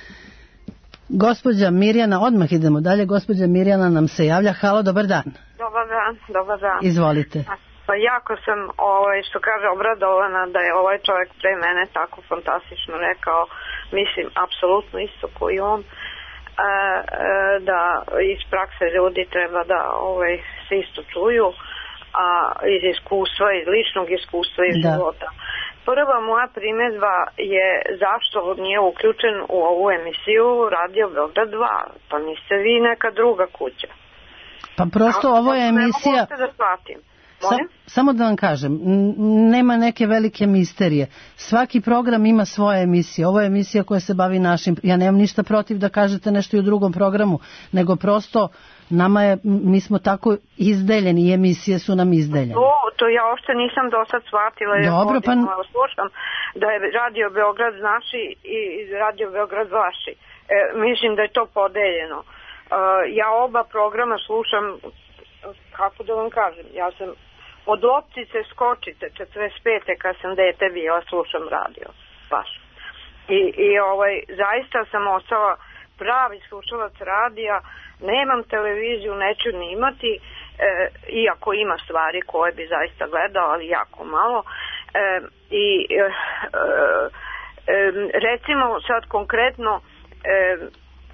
Gospođa Mirjana, odmah idemo dalje. Gospođa Mirjana nam se javlja. Halo, dobar dan. Dobar dan, dobar dan. Izvolite. Pa jako sam, ovaj, što kaže, obradovana da je ovaj čovjek pre mene tako fantastično rekao, mislim, apsolutno isto koji on. E, e, da iz prakse ljudi treba da ovaj, se isto čuju. a iz iskustva, iz ličnog iskustva iz Da. života. Prva moja primjedba je zašto nije uključen u ovu emisiju Radio Beograd dva, pa niste vi neka druga kuća. Pa prosto Kako- ovo je Ne mogu emisija... uopšte da shvatim. Sa, Molim? samo da vam kažem, n- nema neke velike misterije. Svaki program ima svoje emisije. Ovo je emisija koja se bavi našim... Ja nemam ništa protiv da kažete nešto i u drugom programu, nego prosto nama je, m- mi smo tako izdeljeni i emisije su nam izdeljene. To, to ja uopšte nisam do sad shvatila, jer Dobro, pa- godinama slušam da je Radio Beograd naši i Radio Beograd vaši. E, mislim da je to podeljeno. E, ja oba programa slušam, kako da vam kažem, ja sam od loptice skočite četrdeset pete kad sam dete bila, slušam radio, baš. I, i ovaj, zaista sam ostala pravi slušalac radija, nemam televiziju, neću ni imati, e, iako ima stvari koje bi zaista gledao, ali jako malo. E, I e, e, recimo sad konkretno e,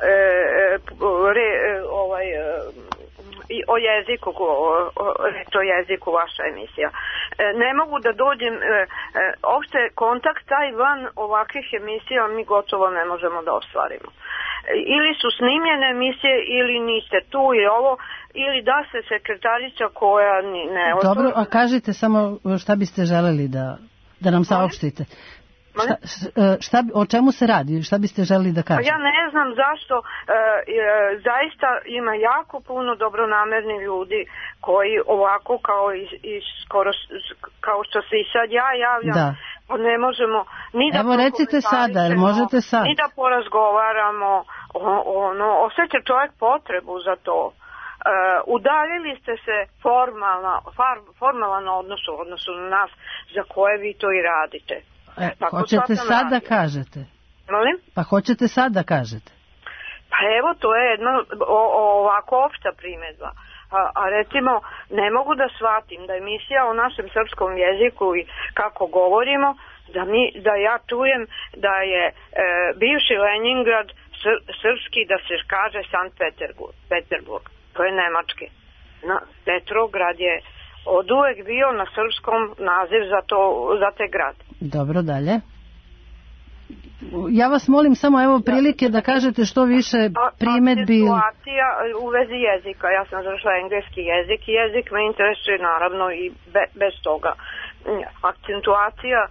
e, re, ovaj, e, i o jeziku, o, o, o jeziku vaša emisija. E, ne mogu da dođem, e, e, opšte kontakt taj van ovakvih emisija mi gotovo ne možemo da ostvarimo. E, ili su snimljene emisije ili niste tu i ovo, ili da se sekretarica koja ni, ne... Dobro, a kažite samo šta biste želeli da, da nam saopštite. Šta, š- šta, bi- o čemu se radi? Šta biste želeli da Pa kažete? ja ne znam zašto, e, e, zaista ima jako puno dobronamerni ljudi koji ovako kao i, i skoro s- kao što se i sad ja javljam, Da. pa ne možemo ni da Evo, recite sada, jer možete sad. ni da porazgovaramo, o- ono, osjeća čovjek potrebu za to. E, udaljili ste se formalna, far, formalan odnos u odnosu na nas za koje vi to i radite. E, Tako hoćete sad sam sad da radio. kažete? Molim? Pa hoćete sad da kažete? Pa evo, to je jedna o, o, ovako opšta primjedba. A, a recimo, ne mogu da shvatim da emisija o našem srpskom jeziku i kako govorimo, da, mi, da ja čujem da je e, bivši Leningrad sr, srpski, da se kaže Sankt Peterburg, Peterburg. To je nemački. Na, Petrograd je od uvek bio na srpskom naziv za, to, za te grad. Dobro, dalje. Ja vas molim samo evo prilike da kažete što više primedbi. Situacija u vezi jezika. Ja sam završila engleski jezik i jezik me interesuje naravno i be, bez toga. Akcentuacija,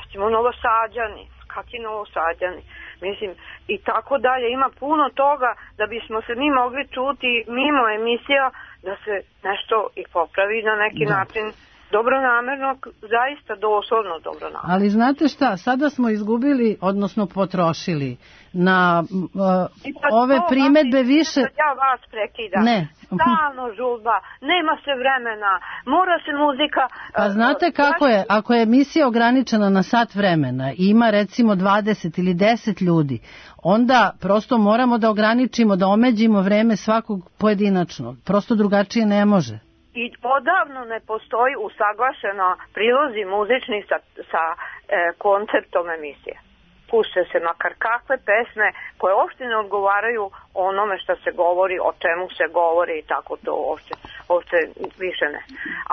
recimo Novosađani, kakvi Novosađani, mislim, i tako dalje. Ima puno toga da bismo se mi mogli čuti mimo emisija da se nešto i popravi na neki Da. način. Dobronamerno, zaista doslovno dobronamerno. Ali znate šta, sada smo izgubili, odnosno potrošili na uh, I pa ove to, primedbe vas- više... Ja vas prekidam. Ne. Stalno žurba, nema se vremena, mora se muzika... Pa uh, znate kako je, ako je emisija ograničena na sat vremena i ima recimo dvadeset ili deset ljudi, onda prosto moramo da ograničimo, da omeđimo vreme svakog pojedinačno. Prosto drugačije ne može. I odavno ne postoji usaglašeno prilozi muzični sa, sa e, konceptom emisije. Pušte se makar kakve pesme koje uopšte ne odgovaraju onome što se govori, o čemu se govori i tako to uopšte, uopšte više ne.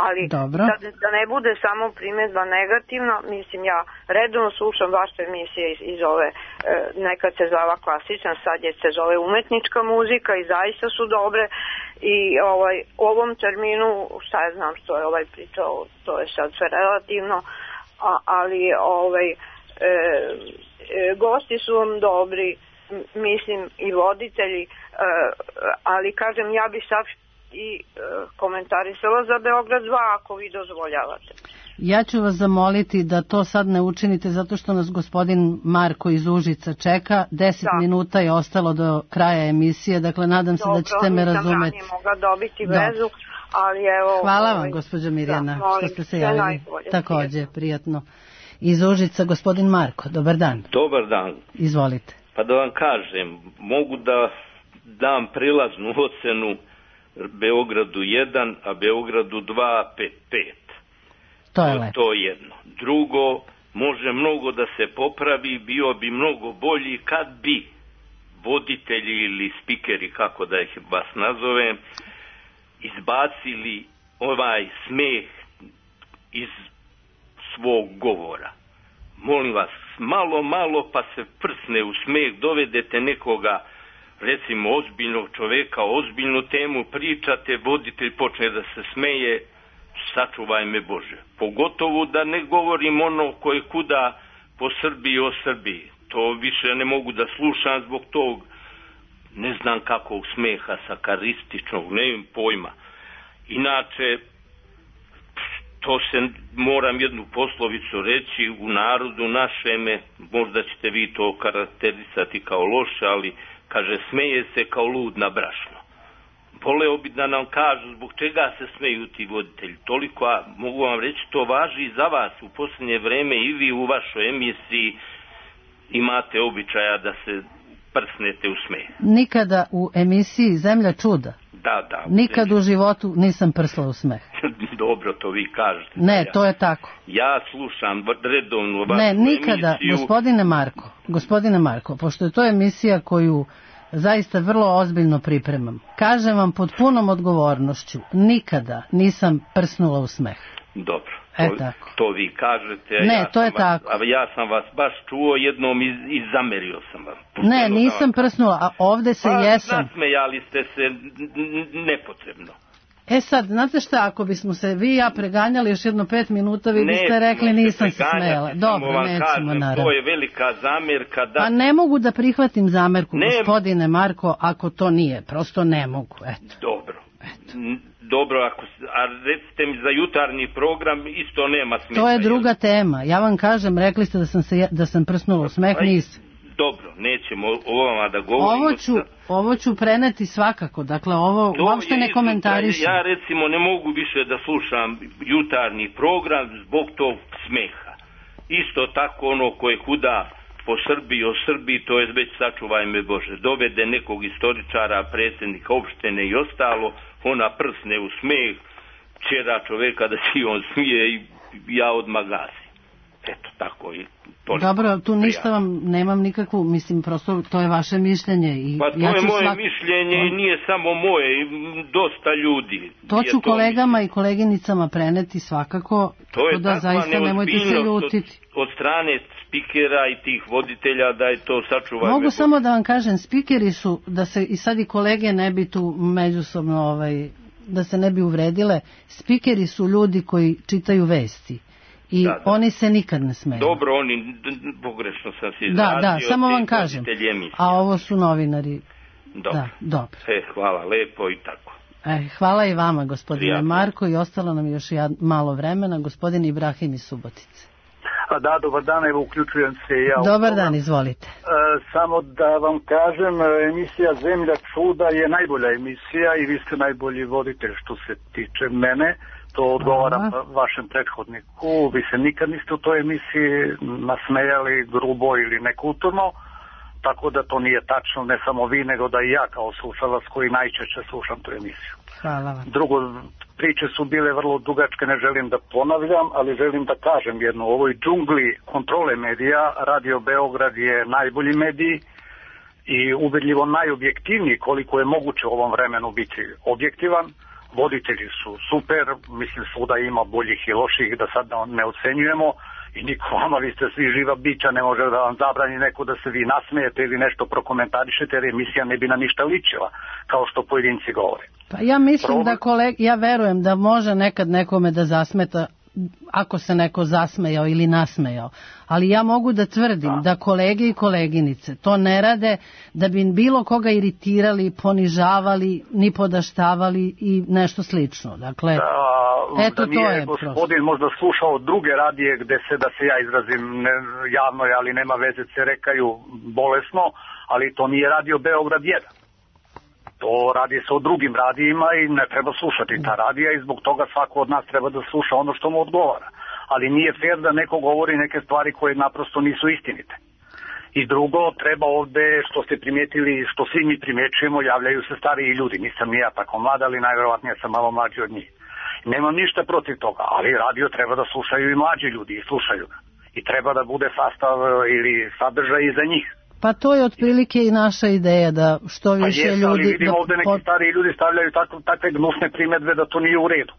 Ali Dobro. da, da ne bude samo primjedba negativna, mislim ja redovno slušam vaše emisije iz, iz ove, e, nekad se zvala klasična, sad je se zove umetnička muzika i zaista su dobre. I ovaj, u ovom terminu, šta ja znam što je ovaj pričao, to je sad sve relativno, a, ali ovaj, e, e, gosti su vam dobri, m- mislim i voditelji, e, ali kažem ja bi sad i e, komentarisala za Beograd dva ako vi dozvoljavate. Ja ću vas zamoliti da to sad ne učinite zato što nas gospodin Marko iz Užica čeka. Deset Da. minuta je ostalo do kraja emisije, dakle nadam se da ćete me nisam razumeti. ranije mogla dobiti Dobro. vezu, ali evo... Hvala ovaj, vam, gospođo Mirjana, da, molim, što ste se sve javili. najbolje. Takođe, prijatno. Iz Užica, gospodin Marko, dobar dan. Dobar dan. Izvolite. Pa da vam kažem, mogu da dam prilaznu ocenu Beogradu jedan, a Beogradu dva, pet pet. To je lepo. To je jedno. Drugo, može mnogo da se popravi, bio bi mnogo bolji kad bi voditelji ili spikeri, kako da ih vas nazovem, izbacili ovaj smeh iz svog govora. Molim vas, malo, malo pa se prsne u smeh, dovedete nekoga, recimo ozbiljnog čoveka, ozbiljnu temu pričate, voditelj počne da se smeje, sačuvaj me Bože. Pogotovo da ne govorim ono koje kuda po Srbiji o Srbiji. To više ne mogu da slušam zbog tog, ne znam kakvog smeha, sakarističnog, ne imam pojma. Inače, to se, moram jednu poslovicu reći, u narodu našeme, možda ćete vi to karakterisati kao loše, ali kaže, smeje se kao lud na brašno. Voleo bi da nam kažu zbog čega se smeju ti voditelji. Toliko, a mogu vam reći, to važi i za vas. U posljednje vreme i vi u vašoj emisiji imate običaja da se prsnete u smeh. Nikada u emisiji Zemlja čuda? Da, da. Nikad u životu nisam prsla u smeh. Dobro, to vi kažete. Ne, ja, to je tako. Ja slušam redovno vašu Ne, nikada, emisiju. gospodine Marko, gospodine Marko, pošto je to emisija koju zaista vrlo ozbiljno pripremam, kažem vam pod punom odgovornošću, nikada nisam prsnula u smeh. Dobro. E, to, tako. to vi kažete. Ne, ja to je vas, tako. A ja sam vas baš čuo jednom i, i zamerio sam vam. Ne, nisam prsnula, a ovde se pa, jesam. Nasmejali ste se nepotrebno. E sad, znate šta, ako bismo se vi i ja preganjali još jedno pet minuta, vi biste rekli nisam se smela. Dobro, nećemo, naravno. To je velika zamerka. Da... Pa ne mogu da prihvatim zamerku, ne... gospodine Marko, ako to nije. Prosto ne mogu, eto. Dobro. Eto. Dobro, ako, a recite mi za jutarnji program isto nema smisla. To je druga tema. Ja vam kažem, rekli ste da sam, se, da sam prsnula u smeh, nisam. Dobro, nećemo o vama da govorimo. Ovo ću, ovo ću preneti svakako, dakle ovo to uopšte ne komentarišem. Ja recimo ne mogu više da slušam jutarnji program zbog tog smeha. Isto tako ono koje kuda po Srbiji, o Srbiji, to je već sačuvaj me Bože. Dovede nekog istoričara, predsjednika opštine i ostalo, ona prsne u smeh, čera čoveka da si on smije i ja odmah gasim. Eto, tako i toliko. Dobro, tu ništa vam nemam nikakvu, mislim, prosto to je vaše mišljenje. I pa to ja je moje svak... mišljenje i nije samo moje, dosta ljudi. To ću to kolegama mišljenje. I koleginicama preneti svakako, to je da zaista nemojte se ljutiti. Od, od strane spikera i tih voditelja da je to sačuvaj. Mogu samo da vam kažem, spikeri su, da se i sad i kolege ne bi tu međusobno, ovaj, da se ne bi uvredile, spikeri su ljudi koji čitaju vesti. I da, da. Oni se nikad ne smeju. Dobro, oni, pogrešno sam se izrazio. Da, da, samo vam kažem. A ovo su novinari. Dobro. Da, dobro. E, hvala, lepo i tako. E, hvala i vama, gospodine Prijatno. Marko, i ostalo nam još ja, malo vremena. Gospodin Ibrahim iz Subotice. A da, dobar dan, evo uključujem se i ja. Dobar dan, izvolite. E, samo da vam kažem, emisija Zemlja čuda je najbolja emisija i vi ste najbolji voditelj što se tiče mene. To odgovaram Aha. vašem prethodniku. Vi se nikad niste u toj emisiji nasmejali grubo ili nekulturno, tako da to nije tačno, ne samo vi, nego da i ja kao slušalac koji najčešće slušam tu emisiju. Hvala vam. Drugo, priče su bile vrlo dugačke, ne želim da ponavljam, ali želim da kažem jedno. U ovoj džungli kontrole medija, Radio Beograd je najbolji medij i ubedljivo najobjektivniji koliko je moguće u ovom vremenu biti objektivan. Voditelji su super, mislim svuda ima boljih i loših, da sad ne ocenjujemo i niko vama, vi ste svi živa bića, ne može da vam zabrani neko da se vi nasmijete ili nešto prokomentarišete, jer emisija ne bi na ništa ličila, kao što pojedinci govore. Pa ja mislim Problem... da koleg, ja verujem da može nekad nekome da zasmeta ako se neko zasmejao ili nasmejao. Ali ja mogu da tvrdim da. da kolege i koleginice to ne rade da bi bilo koga iritirali, ponižavali, ni podaštavali i nešto slično. Dakle, da, eto da to je gospodin prosto. Možda slušao druge radije gde se, da se ja izrazim ne, javno, ali nema veze, se rekaju bolesno, ali to nije Radio Beograd jedan. To radi se o drugim radijima i ne treba slušati ta radija i zbog toga svako od nas treba da sluša ono što mu odgovara. Ali nije fair da neko govori neke stvari koje naprosto nisu istinite. I drugo, treba ovde, što ste primijetili, što svi mi primjećujemo, javljaju se stariji ljudi. Nisam ni ja tako mlad, ali najverovatnije sam malo mlađi od njih. Nemam ništa protiv toga, ali radio treba da slušaju i mlađi ljudi i slušaju ga. I treba da bude sastav ili sadržaj i za njih. Pa to je otprilike i naša ideja da što više pa jes, ljudi... Ali vidimo da... ovde neki stariji ljudi stavljaju tako, takve gnusne primedbe da to nije u redu.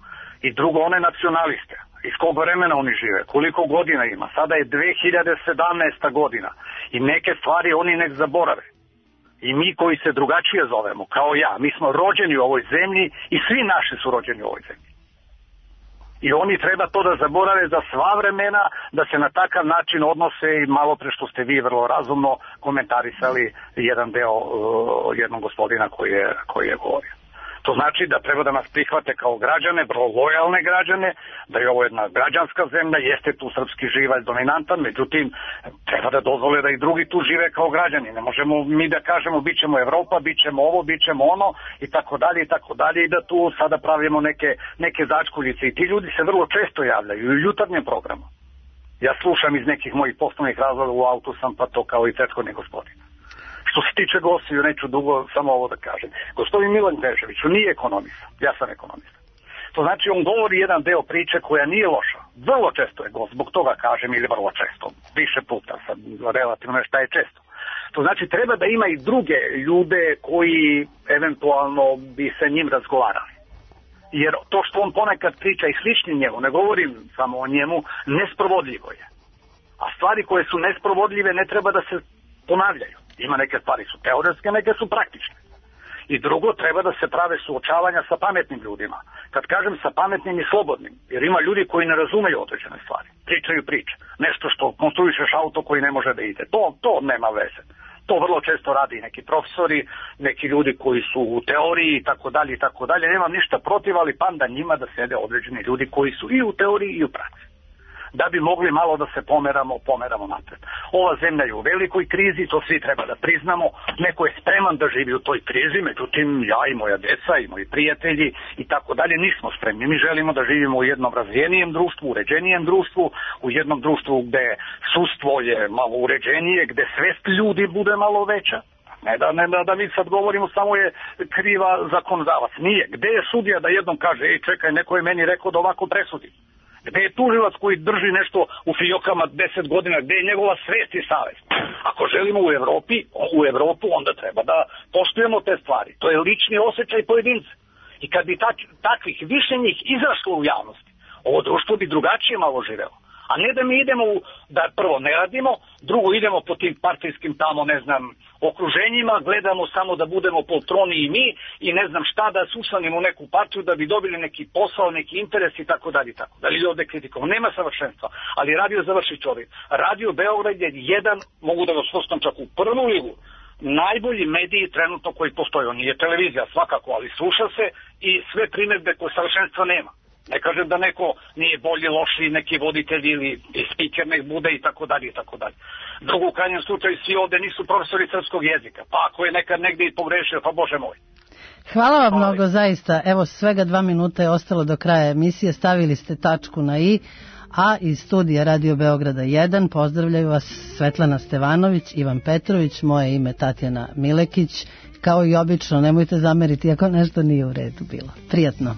I drugo, one nacionaliste. Iz kog vremena oni žive, koliko godina ima. Sada je dve hiljade sedamnaesta godina i neke stvari oni nek zaborave. I mi koji se drugačije zovemo, kao ja, mi smo rođeni u ovoj zemlji i svi naši su rođeni u ovoj zemlji. I oni treba to da zaborave za sva vremena, da se na takav način odnose i malo pre što ste vi vrlo razumno komentarisali jedan deo uh, jednog gospodina koji je, koji je govorio. To znači da treba da nas prihvate kao građane, vrlo lojalne građane, da je ovo jedna građanska zemlja, jeste tu srpski živalj dominantan, međutim, treba da dozvole da i drugi tu žive kao građani. Ne možemo mi da kažemo bit ćemo Evropa, bit ćemo ovo, bit ćemo ono i tako dalje i tako dalje i da tu sada pravimo neke, neke začkuljice. I ti ljudi se vrlo često javljaju i u jutarnjem programu. Ja slušam iz nekih mojih poslovnih razloga, u autu sam, pa to kao i prethodni gospodin. Što se tiče gostiju, neću dugo samo ovo da kažem. Gospodin Milan Težević, on nije ekonomista, ja sam ekonomista. To znači on govori jedan deo priče koja nije loša. Vrlo često je gost, zbog toga kažem, ili vrlo često, više puta, sad relativno šta je često. To znači treba da ima i druge ljude koji eventualno bi sa njim razgovarali. Jer to što on ponekad priča i slični njemu, ne govorim samo o njemu, nesprovodljivo je. A stvari koje su nesprovodljive ne treba da se ponavljaju. Ima neke stvari su teoretske, neke su praktične. I drugo, treba da se prave suočavanja sa pametnim ljudima. Kad kažem sa pametnim i slobodnim, jer ima ljudi koji ne razumeju određene stvari. Pričaju priče. Nešto što konstruišeš auto koji ne može da ide. To, to nema veze. To vrlo često radi neki profesori, neki ljudi koji su u teoriji i tako dalje i tako dalje. Nemam ništa protiv, ali panda njima da sede određeni ljudi koji su i u teoriji i u praksi. Da bi mogli malo da se pomeramo, pomeramo napred. Ova zemlja je u velikoj krizi, to svi treba da priznamo. Neko je spreman da živi u toj krizi, međutim ja i moja deca i moji prijatelji i tako dalje nismo spremni. Mi želimo da živimo u jednom razvijenijem društvu, uređenijem društvu, u jednom društvu gde sudstvo je malo uređenije, gde svest ljudi bude malo veća. Ne da, ne da mi sad govorimo samo je kriva zakonodavac. Nije. Gde je sudija da jednom kaže, ej čekaj, neko je meni rekao da ovako presudi. Gde je tužilac koji drži nešto u fijokama deset godina, gde je njegova svest i savest? Ako želimo u Evropi, u Evropu, onda treba da poštujemo te stvari. To je lični osjećaj pojedinca. I kad bi tak, takvih više njih izašlo u javnosti, ovo društvo bi drugačije malo živelo. A ne da mi idemo, u, da prvo ne radimo, drugo idemo po tim partijskim tamo, ne znam, okruženjima, gledamo samo da budemo poltroni i mi i ne znam šta da se usanimo u neku partiju da bi dobili neki posao, neki interes i tako dalje i tako. Da li ovde kritikom? Nema savršenstva, ali radio završi čovjek. Radio Beograd je jedan, mogu da vas postam čak u prvu ligu, najbolji mediji trenutno koji postoje. On nije televizija svakako, ali sluša se i sve primjedbe koje savršenstva nema. Ne kažem da neko nije bolji, loši, neki voditelj ili spiker nek bude i tako dalje i tako dalje. Drugo, u krajnjem slučaju svi ovde nisu profesori srpskog jezika, pa ako je nekad negdje i pogrešio, pa bože moj. Hvala vam mnogo, zaista. Evo, svega dva minuta je ostalo do kraja emisije, stavili ste tačku na i, a iz studija Radio Beograda jedan pozdravljaju vas Svetlana Stevanović, Ivan Petrović, moje ime Tatjana Milekić. Kao i obično, nemojte zameriti ako nešto nije u redu bilo. Prijatno.